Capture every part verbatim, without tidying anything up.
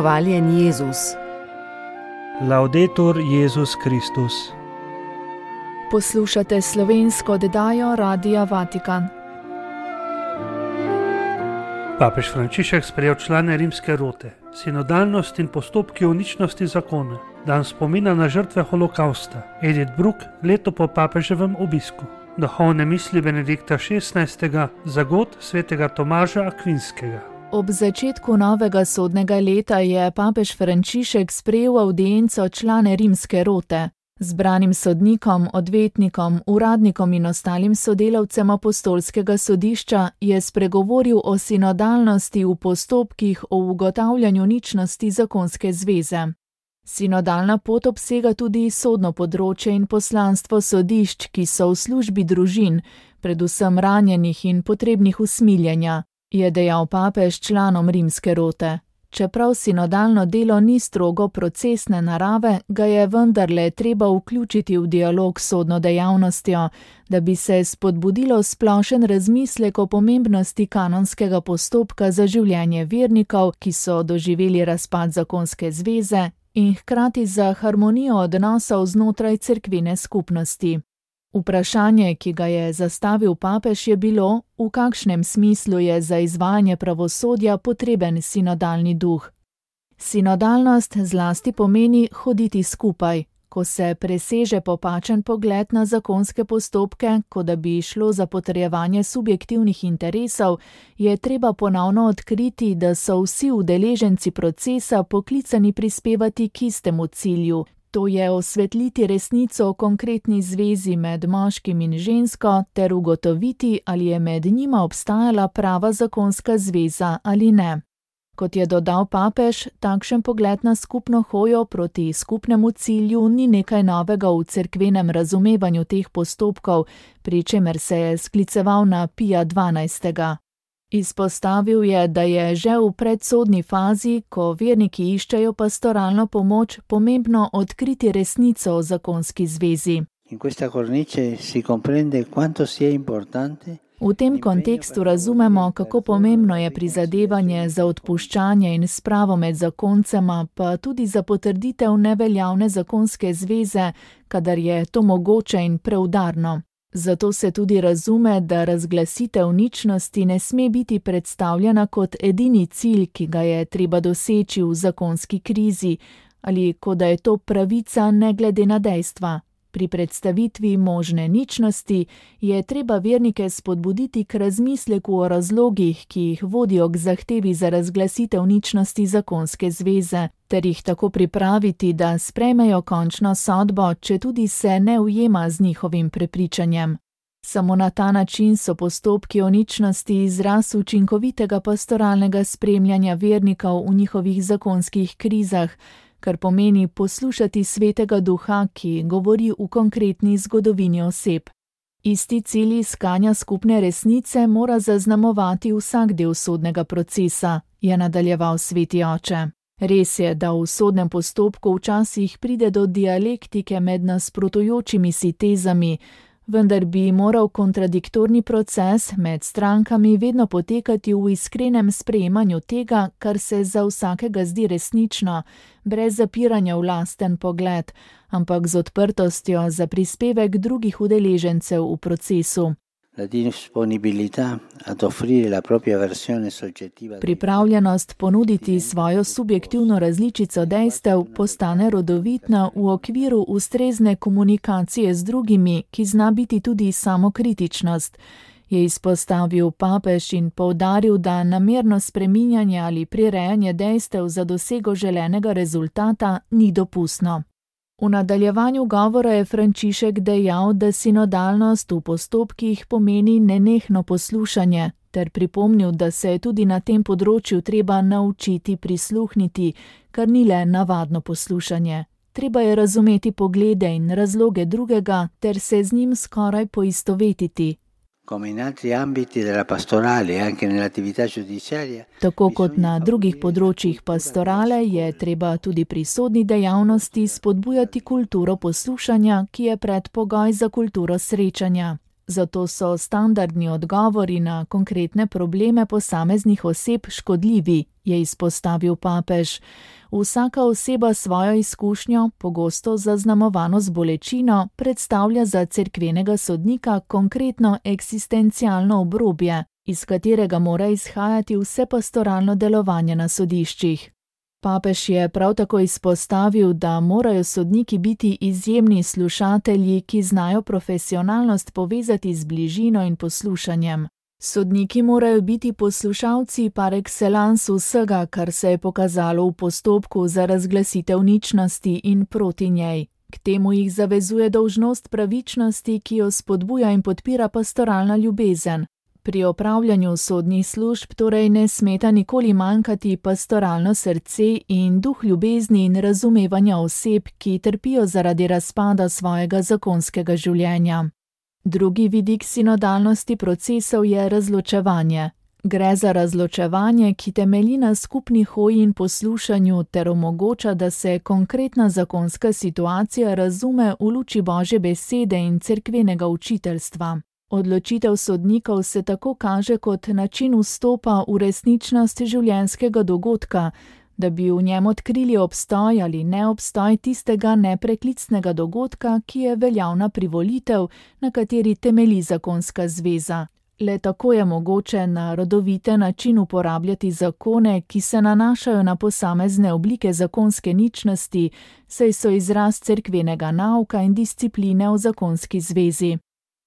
Hvaljen Jezus. Laudetur Jezus Kristus. Poslušate slovensko oddajo Radia Vatikan. Papež Frančišek sprejel člane rimske rote. Sinodalnost in postopki o ničnosti zakona. Dan spomina na žrtve holokausta. Edith Bruck, leto po papeževem obisku. Duhovne misli Benedikta šestnajstega, zagod svetega Tomaža Akvinskega. Ob začetku novega sodnega leta je papež Frančišek sprejel avdienco člane rimske rote. Zbranim sodnikom, odvetnikom, uradnikom in ostalim sodelavcem apostolskega sodišča je spregovoril o sinodalnosti v postopkih o ugotavljanju ničnosti zakonske zveze. Sinodalna pot obsega tudi sodno področje in poslanstvo sodišč, ki so v službi družin, predvsem ranjenih in potrebnih usmiljenja, je dejal papež članom rimske rote. Čeprav sinodalno delo ni strogo procesne narave, ga je vendarle treba vključiti v dialog s sodno dejavnostjo, da bi se spodbudilo splošen razmislek o pomembnosti kanonskega postopka za življenje vernikov, ki so doživeli razpad zakonske zveze, in hkrati za harmonijo odnosov znotraj cerkvene skupnosti. Vprašanje, ki ga je zastavil papež, je bilo, v kakšnem smislu je za izvajanje pravosodja potreben sinodalni duh. Sinodalnost zlasti pomeni hoditi skupaj. Ko se preseže popačen pogled na zakonske postopke, kot da bi šlo za potrjevanje subjektivnih interesov, je treba ponovno odkriti, da so vsi udeleženci procesa poklicani prispevati k istemu cilju. To je osvetliti resnico o konkretni zvezi med moškim in žensko ter ugotoviti, ali je med njima obstajala prava zakonska zveza ali ne. Kot je dodal papež, takšen pogled na skupno hojo proti skupnemu cilju ni nekaj novega v cerkvenem razumevanju teh postopkov, pri čemer se je skliceval na Pija dvanajstega. Izpostavil je, da je že v predsodni fazi, ko verniki iščejo pastoralno pomoč, pomembno odkriti resnico o zakonski zvezi. V tem kontekstu razumemo, kako pomembno je prizadevanje za odpuščanje in spravo med zakoncema, pa tudi za potrditev neveljavne zakonske zveze, kadar je to mogoče in preudarno. Zato se tudi razume, da razglasitev ničnosti ne sme biti predstavljena kot edini cilj, ki ga je treba doseči v zakonski krizi, ali kot da je to pravica ne glede na dejstva. Pri predstavitvi možne ničnosti je treba vernike spodbuditi k razmisleku o razlogih, ki jih vodijo k zahtevi za razglasitev ničnosti zakonske zveze, ter jih tako pripraviti, da sprejmejo končno sodbo, če tudi se ne ujema z njihovim prepričanjem. Samo na ta način so postopki o ničnosti izraz učinkovitega pastoralnega spremljanja vernikov v njihovih zakonskih krizah, kar pomeni poslušati svetega duha, ki govori v konkretni zgodovini oseb. Isti cilj iskanja skupne resnice mora zaznamovati vsak del sodnega procesa, je nadaljeval sveti oče. Res je, da v sodnem postopku včasih pride do dialektike med nasprotujočimi si tezami, vendar bi moral kontradiktorni proces med strankami vedno potekati v iskrenem sprejemanju tega, kar se za vsakega zdi resnično, brez zapiranja v lasten pogled, ampak z odprtostjo za prispevek drugih udeležencev v procesu. Pripravljenost ponuditi svojo subjektivno različico dejstev postane rodovitna v okviru ustrezne komunikacije z drugimi, ki zna biti tudi samokritičnost, je izpostavil papež in poudaril, da namerno spreminjanje ali prirejanje dejstev za dosego želenega rezultata ni dopustno. V nadaljevanju govora je Frančišek dejal, da sinodalnost v postopkih pomeni nenehno poslušanje, ter pripomnil, da se je tudi na tem področju treba naučiti prisluhniti, kar ni le navadno poslušanje. Treba je razumeti poglede in razloge drugega ter se z njim skoraj poistovetiti. Tako kot na drugih področjih pastorale je treba tudi pri sodni dejavnosti spodbujati kulturo poslušanja, ki je predpogoj za kulturo srečanja. zato so standardni odgovori na konkretne probleme posameznih oseb škodljivi, je izpostavil papež. Vsaka oseba svojo izkušnjo, pogosto zaznamovano z bolečino, predstavlja za cerkvenega sodnika konkretno eksistencialno obrobje, iz katerega mora izhajati vse pastoralno delovanje na sodiščih. Papež je prav tako izpostavil, da morajo sodniki biti izjemni slušatelji, ki znajo profesionalnost povezati z bližino in poslušanjem. Sodniki morajo biti poslušalci par excellence vsega, kar se je pokazalo v postopku za razglasitev ničnosti in proti njej. K temu jih zavezuje dolžnost pravičnosti, ki jo spodbuja in podpira pastoralna ljubezen. Pri opravljanju sodnih služb torej ne smeta nikoli manjkati pastoralno srce in duh ljubezni in razumevanja oseb, ki trpijo zaradi razpada svojega zakonskega življenja. Drugi vidik sinodalnosti procesov je razločevanje. Gre za razločevanje, ki temelji na skupni hoji in poslušanju ter omogoča, da se konkretna zakonska situacija razume v luči Božje besede in cerkvenega učiteljstva. Odločitev sodnikov se tako kaže kot način vstopa v resničnost življenjskega dogodka, da bi v njem odkrili obstoj ali neobstoj tistega nepreklicnega dogodka, ki je veljavna privolitev, na kateri temelji zakonska zveza. Le tako je mogoče na rodovite način uporabljati zakone, ki se nanašajo na posamezne oblike zakonske ničnosti, saj so izraz cerkvenega nauka in discipline v zakonski zvezi.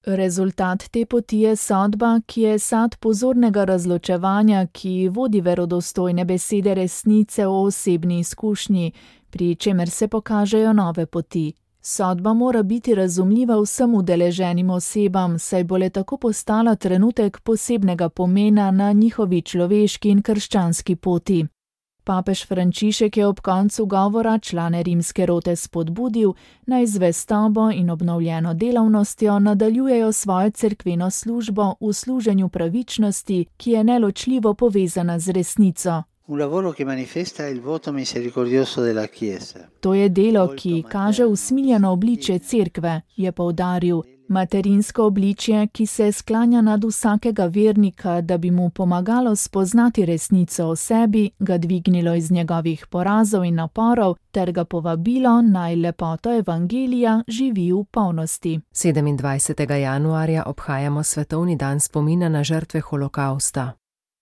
Rezultat te poti je sodba, ki je sad pozornega razločevanja, ki vodi verodostojne besede resnice o osebni izkušnji, pri čemer se pokažejo nove poti. Sodba mora biti razumljiva vsem udeleženim osebam, saj bo le tako postala trenutek posebnega pomena na njihovi človeški in krščanski poti. Papež Frančišek je ob koncu govora člane rimske rote spodbudil, naj z zvestobo in obnovljeno delavnostjo nadaljujejo svojo cerkveno službo v služenju pravičnosti, ki je neločljivo povezana z resnico. Un lavoro che manifesta il voto misericordioso della Chiesa. To je delo, ki kaže usmiljeno obličje cerkve, je poudaril, materinsko obličje, ki se sklanja nad vsakega vernika, da bi mu pomagalo spoznati resnico o sebi, ga dvignilo iz njegovih porazov in naporov, ter ga povabilo, naj lepoto evangelija živi v polnosti. sedemindvajsetega januarja obhajamo svetovni dan spomina na žrtve holokausta.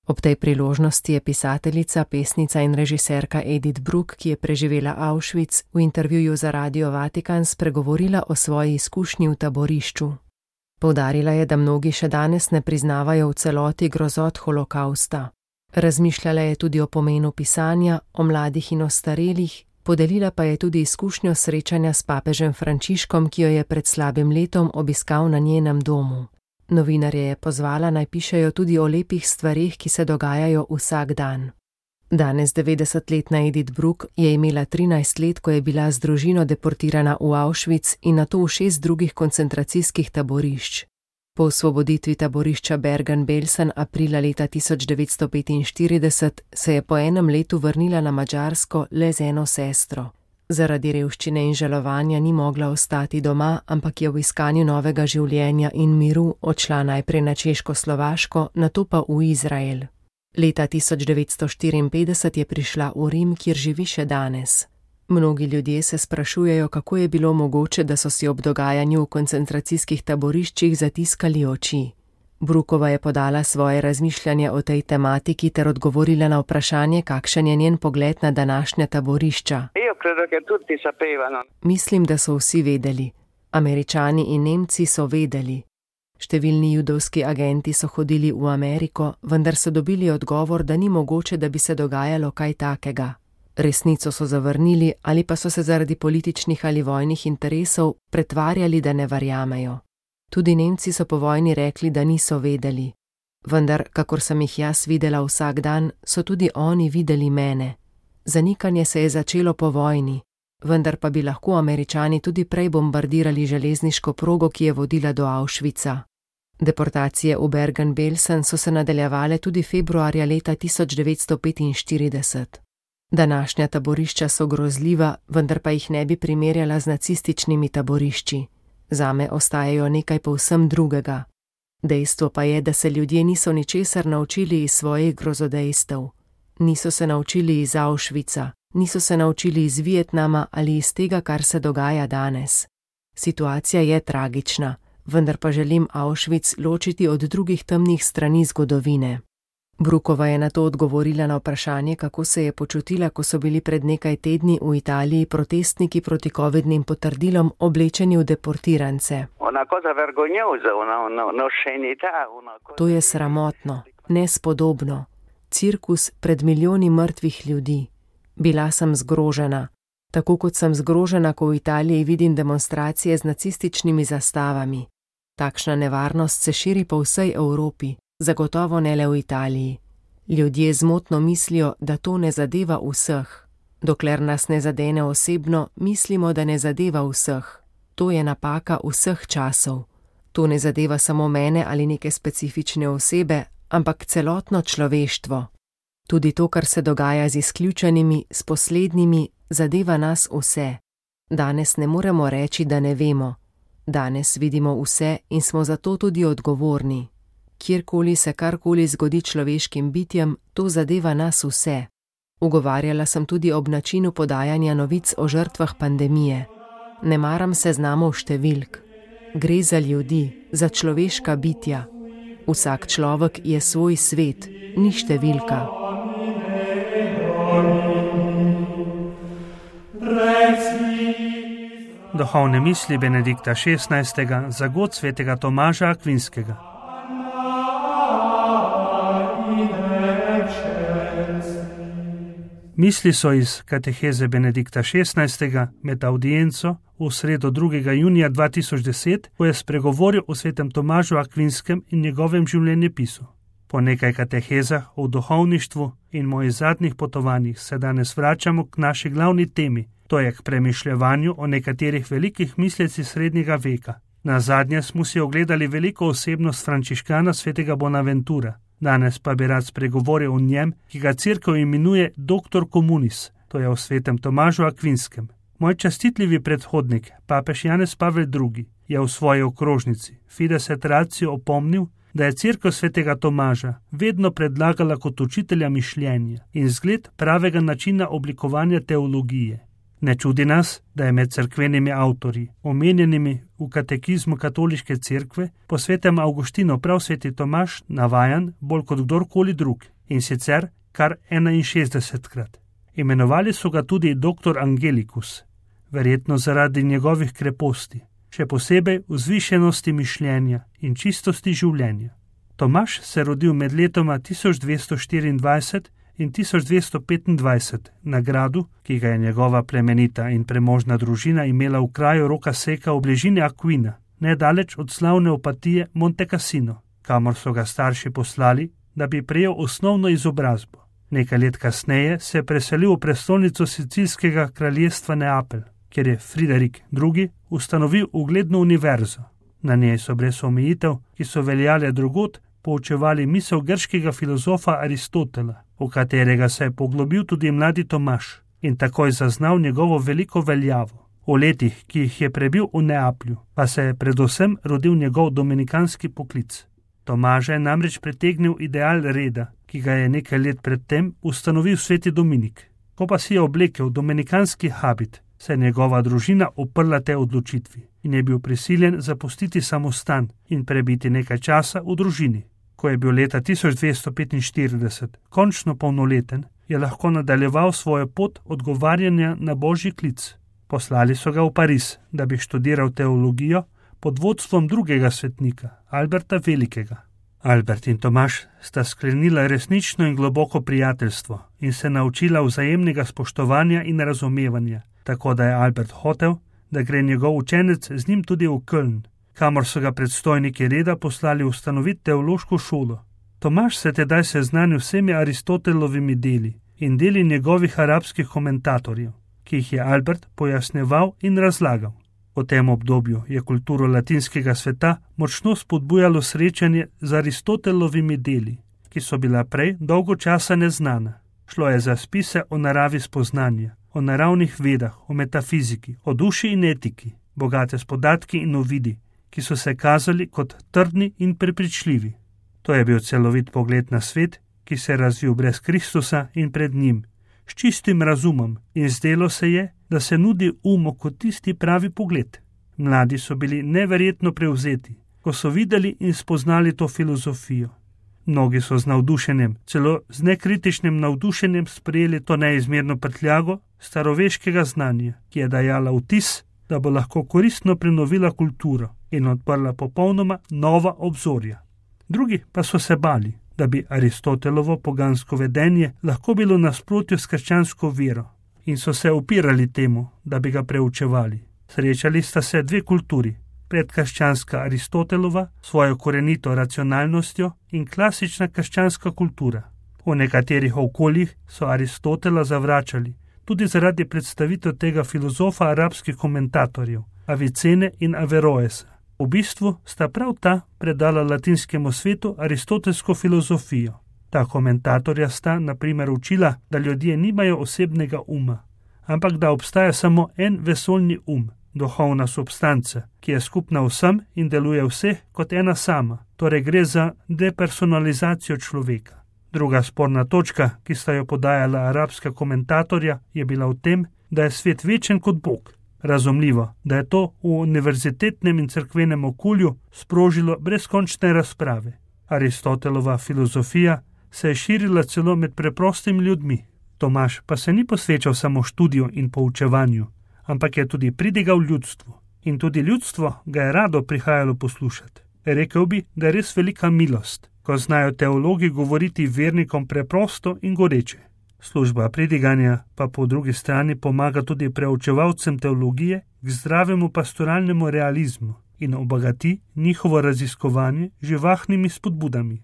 Ob tej priložnosti je pisateljica, pesnica in režiserka Edith Bruck, ki je preživela Auschwitz, v intervjuju za Radio Vatikan spregovorila o svoji izkušnji v taborišču. Poudarila je, da mnogi še danes ne priznavajo v celoti grozot holokausta. Razmišljala je tudi o pomenu pisanja, o mladih in ostarelih, podelila pa je tudi izkušnjo srečanja s papežem Frančiškom, ki jo je pred slabim letom obiskal na njenem domu. Novinarje je pozvala, naj pišejo tudi o lepih stvareh, ki se dogajajo vsak dan. Danes devetdesetletna Edith Bruck je imela trinajst let, ko je bila z družino deportirana v Auschwitz in nato v šest drugih koncentracijskih taborišč. Po osvoboditvi taborišča Bergen-Belsen aprila leta tisoč devetsto petinštirideset se je po enem letu vrnila na Madžarsko le z eno sestro. Zaradi revščine in žalovanja ni mogla ostati doma, ampak je v iskanju novega življenja in miru odšla najprej na Češko-Slovaško, nato pa v Izrael. Leta tisoč devetsto štiriinpetdeset je prišla v Rim, kjer živi še danes. Mnogi ljudje se sprašujejo, kako je bilo mogoče, da so si ob dogajanju v koncentracijskih taboriščih zatiskali oči. Bruckova je podala svoje razmišljanje o tej tematiki ter odgovorila na vprašanje, kakšen je njen pogled na današnja taborišča. Mislim, da so vsi vedeli. Američani in Nemci so vedeli. Številni judovski agenti so hodili v Ameriko, vendar so dobili odgovor, da ni mogoče, da bi se dogajalo kaj takega. Resnico so zavrnili ali pa so se zaradi političnih ali vojnih interesov pretvarjali, da ne verjamejo. Tudi Nemci so po vojni rekli, da niso vedeli. Vendar, kakor sem jih jaz videla vsak dan, so tudi oni videli mene. Zanikanje se je začelo po vojni, vendar pa bi lahko Američani tudi prej bombardirali železniško progo, ki je vodila do Auschwitza. Deportacije v Bergen-Belsen so se nadaljevale tudi februarja leta tisoč devetsto petinštirideset. Današnja taborišča so grozljiva, vendar pa jih ne bi primerjala z nacističnimi taborišči. Zame ostajajo nekaj povsem drugega. Dejstvo pa je, da se ljudje niso ničesar naučili iz svojih grozodejstev. Niso se naučili iz Auschwitza, niso se naučili iz Vietnama ali iz tega, kar se dogaja danes. Situacija je tragična, vendar pa želim Auschwitz ločiti od drugih temnih strani zgodovine. Brookova je na to odgovorila na vprašanje, kako se je počutila, ko so bili pred nekaj tedni v Italiji protestniki proti covidnim potrdilom oblečeni v deportirance. To je sramotno, nespodobno. Cirkus pred milijoni mrtvih ljudi. Bila sem zgrožena. Tako kot sem zgrožena, ko v Italiji vidim demonstracije z nacističnimi zastavami. Takšna nevarnost se širi po vsej Evropi, zagotovo ne le v Italiji. Ljudje zmotno mislijo, da to ne zadeva vseh. Dokler nas ne zadene osebno, mislimo, da ne zadeva vseh. To je napaka vseh časov. To ne zadeva samo mene ali neke specifične osebe, ampak celotno človeštvo. Tudi to, kar se dogaja z izključenimi, s poslednjimi, zadeva nas vse. Danes ne moremo reči, da ne vemo. Danes vidimo vse in smo zato tudi odgovorni. Kjerkoli se karkoli zgodi človeškim bitjem, to zadeva nas vse. Ugovarjala sem tudi ob načinu podajanja novic o žrtvah pandemije. Ne maram seznamov številk. Gre za ljudi, za človeška bitja. Vsak človek je svoj svet, ni številka. Duhovne misli Benedikta šestnajstega za god svetega Tomaža Akvinskega. Misli so iz kateheze Benedikta šestnajstega med audienco v sredo drugega junija dva tisoč deset, ko je spregovoril o svetem Tomažu Akvinskem in njegovem življenjepisu. Po nekaj katehezah o duhovništvu in mojih zadnjih potovanjih se danes vračamo k naši glavni temi, to je k premišljevanju o nekaterih velikih mislecih srednjega veka. Nazadnje smo si ogledali veliko osebnost frančiškana svetega Bonaventura. Danes pa bi rad spregovoril o njem, ki ga cerkev imenuje doktor communis, to je o svetem Tomažu Akvinskem. Moj častitljivi predhodnik, papež Janez Pavel drugi, je v svoji okrožnici Fides et Ratio opomnil, da je cerkev svetega Tomaža vedno predlagala kot učitelja mišljenja in zgled pravega načina oblikovanja teologije. Ne čudi nas, da je med cerkvenimi avtorji, omenjenimi v katekizmu katoliške cerkve, po svetem Avguštinu prav sveti Tomaž navajan bolj kot kdorkoli drug, in sicer kar enainšestdesetkrat. Imenovali so ga tudi doktor Angelicus, verjetno zaradi njegovih kreposti, še posebej vzvišenosti mišljenja in čistosti življenja. Tomaž se rodil med letoma tisoč dvesto štiriindvajset in tisoč dvesto petindvajset na gradu, ki ga je njegova plemenita in premožna družina imela v kraju Roca Seca v bližini Aquina, nedaleč od slavne opatije Monte Cassino, kamor so ga starši poslali, da bi prejel osnovno izobrazbo. Nekaj let kasneje se je preselil v prestolnico Sicilskega kraljestva Neapelj, kjer je Friderik drugi ustanovil ugledno univerzo. Na njej so brez omejitev, ki so veljale drugod, poučevali misel grškega filozofa Aristotela, v katerega se je poglobil tudi mladi Tomaž in takoj zaznal njegovo veliko veljavo. V letih, ki jih je prebil v Neaplju, pa se je predvsem rodil njegov dominikanski poklic. Tomaža je namreč pritegnil ideal reda, ki ga je nekaj let predtem ustanovil sveti Dominik. Ko pa si je oblekel dominikanski habit, se je njegova družina uprla te odločitvi in je bil prisiljen zapustiti samostan in prebiti nekaj časa v družini. Ko je bil leta tisoč dvesto petinštirideset končno polnoleten, je lahko nadaljeval svojo pot odgovarjanja na božji klic. Poslali so ga v Pariz, da bi študiral teologijo pod vodstvom drugega svetnika, Alberta Velikega. Albert in Tomaž sta sklenila resnično in globoko prijateljstvo in se naučila vzajemnega spoštovanja in razumevanja, tako da je Albert hotel, da gre njegov učenec z njim tudi v Köln, kamor so ga predstojniki reda poslali ustanoviti teološko šolo. Tomaž se tedaj seznanil vsemi Aristotelovimi deli in deli njegovih arabskih komentatorjev, ki jih je Albert pojasneval in razlagal. V tem obdobju je kulturo latinskega sveta močno spodbujalo srečanje z Aristotelovimi deli, ki so bila prej dolgo časa neznana. Šlo je za spise o naravi spoznanja, o naravnih vedah, o metafiziki, o duši in etiki, bogate s podatki in uvidi, ki so se kazali kot trdni in prepričljivi. To je bil celovit pogled na svet, ki se je razvil brez Kristusa in pred njim, s čistim razumom, in zdelo se je, da se nudi umu kot tisti pravi pogled. Mladi so bili neverjetno prevzeti, ko so videli in spoznali to filozofijo. Mnogi so z navdušenjem, celo z nekritičnim navdušenjem sprejeli to neizmerno prtljago staroveškega znanja, ki je dajala vtis, da bo lahko koristno prenovila kulturo in odprla popolnoma nova obzorja. Drugi pa so se bali, da bi Aristotelovo pogansko vedenje lahko bilo nasprotju s krščansko vero, in so se upirali temu, da bi ga preučevali. Srečali sta se dve kulturi, predkrščanska Aristotelova s svojo korenito racionalnostjo in klasična krščanska kultura. V nekaterih okoljih so Aristotela zavračali, tudi zaradi predstavitev tega filozofa arabskih komentatorjev, Avicene in Averroesa. V bistvu sta prav ta predala latinskemu svetu aristotelsko filozofijo. Ta komentatorja sta, na primer, učila, da ljudje nimajo osebnega uma, ampak da obstaja samo en vesoljni um, duhovna substanca, ki je skupna vsem in deluje vseh kot ena sama, torej gre za depersonalizacijo človeka. Druga sporna točka, ki sta jo podajala arabska komentatorja, je bila v tem, da je svet večen kot Bog. Razumljivo, da je to v univerzitetnem in cerkvenem okolju sprožilo brezkončne razprave. Aristotelova filozofija se je širila celo med preprostimi ljudmi. Tomaž pa se ni posvečal samo študiju in poučevanju, ampak je tudi pridigal ljudstvu. In tudi ljudstvo ga je rado prihajalo poslušati. Rekel bi, da je res velika milost, ko znajo teologi govoriti vernikom preprosto in goreče. Služba pridiganja pa po drugi strani pomaga tudi preučevalcem teologije k zdravemu pastoralnemu realizmu in obogati njihovo raziskovanje živahnimi spodbudami.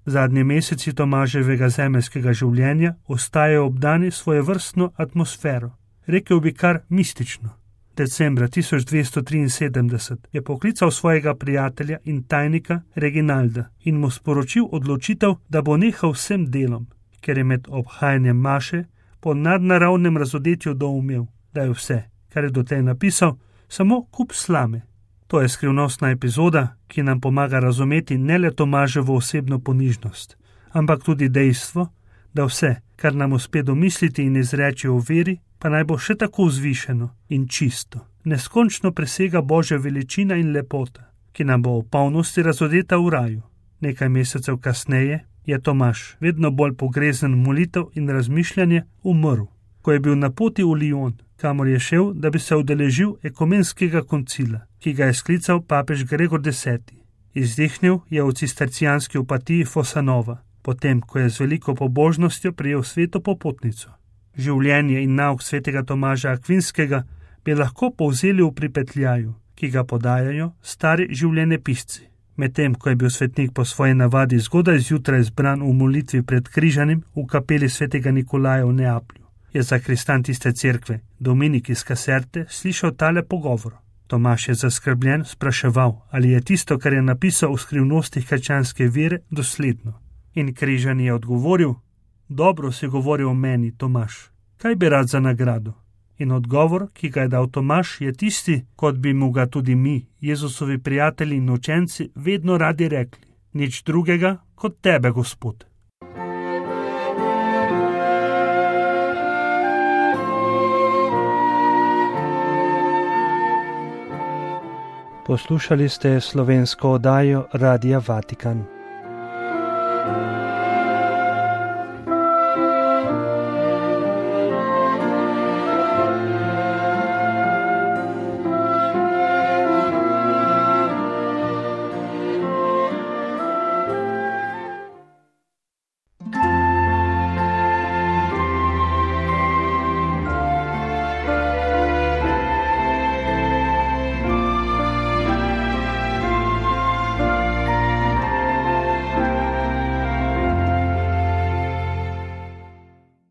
Zadnji meseci Tomaževega zemeljskega življenja ostajajo obdani svojevrstno atmosfero, rekel bi kar mistično. Decembra tisoč dvesto triinsedemdeset je poklical svojega prijatelja in tajnika Reginalda in mu sporočil odločitev, da bo nehal vsem delom, ker je med obhajanjem maše po nadnaravnem razodetju doumel, da je vse, kar je dotlej napisal, samo kup slame. To je skrivnostna epizoda, ki nam pomaga razumeti ne le Tomaževo osebno ponižnost, ampak tudi dejstvo, da vse, kar nam uspe domisliti in izreči o veri, pa naj bo še tako vzvišeno in čisto, neskončno presega Božja veličina in lepota, ki nam bo v polnosti razodeta v raju. Nekaj mesecev kasneje je Tomaž, vedno bolj pogrezen molitev in razmišljanje, umrl, ko je bil na poti v Lyon, kamor je šel, da bi se udeležil ekumenskega koncila, ki ga je sklical papež Gregor deseti. Izdihnil je v cistercijanski opatiji Fosanova, potem, ko je z veliko pobožnostjo prijel sveto popotnico. Življenje in nauk svetega Tomaža Akvinskega bi lahko povzeli v pripetljaju, ki ga podajajo stari življenjepisci. Medtem, ko je bil svetnik po svoji navadi zgodaj zjutraj zbran v molitvi pred križanjem v kapeli svetega Nikolaja v Neaplju, je zakristan tiste cerkve, Dominik iz Kaserte, slišal tale pogovor. Tomaž je zaskrbljen spraševal, ali je tisto, kar je napisal v skrivnostih krščanske vere, dosledno. In križani je odgovoril: dobro si govoril o meni, Tomaž, kaj bi rad za nagrado? In odgovor, ki ga je dal Tomaž, je tisti, kot bi mu ga tudi mi, Jezusovi prijatelji in učenci, vedno radi rekli: nič drugega kot tebe, Gospod. Poslušali ste slovensko oddajo Radia Vatikan.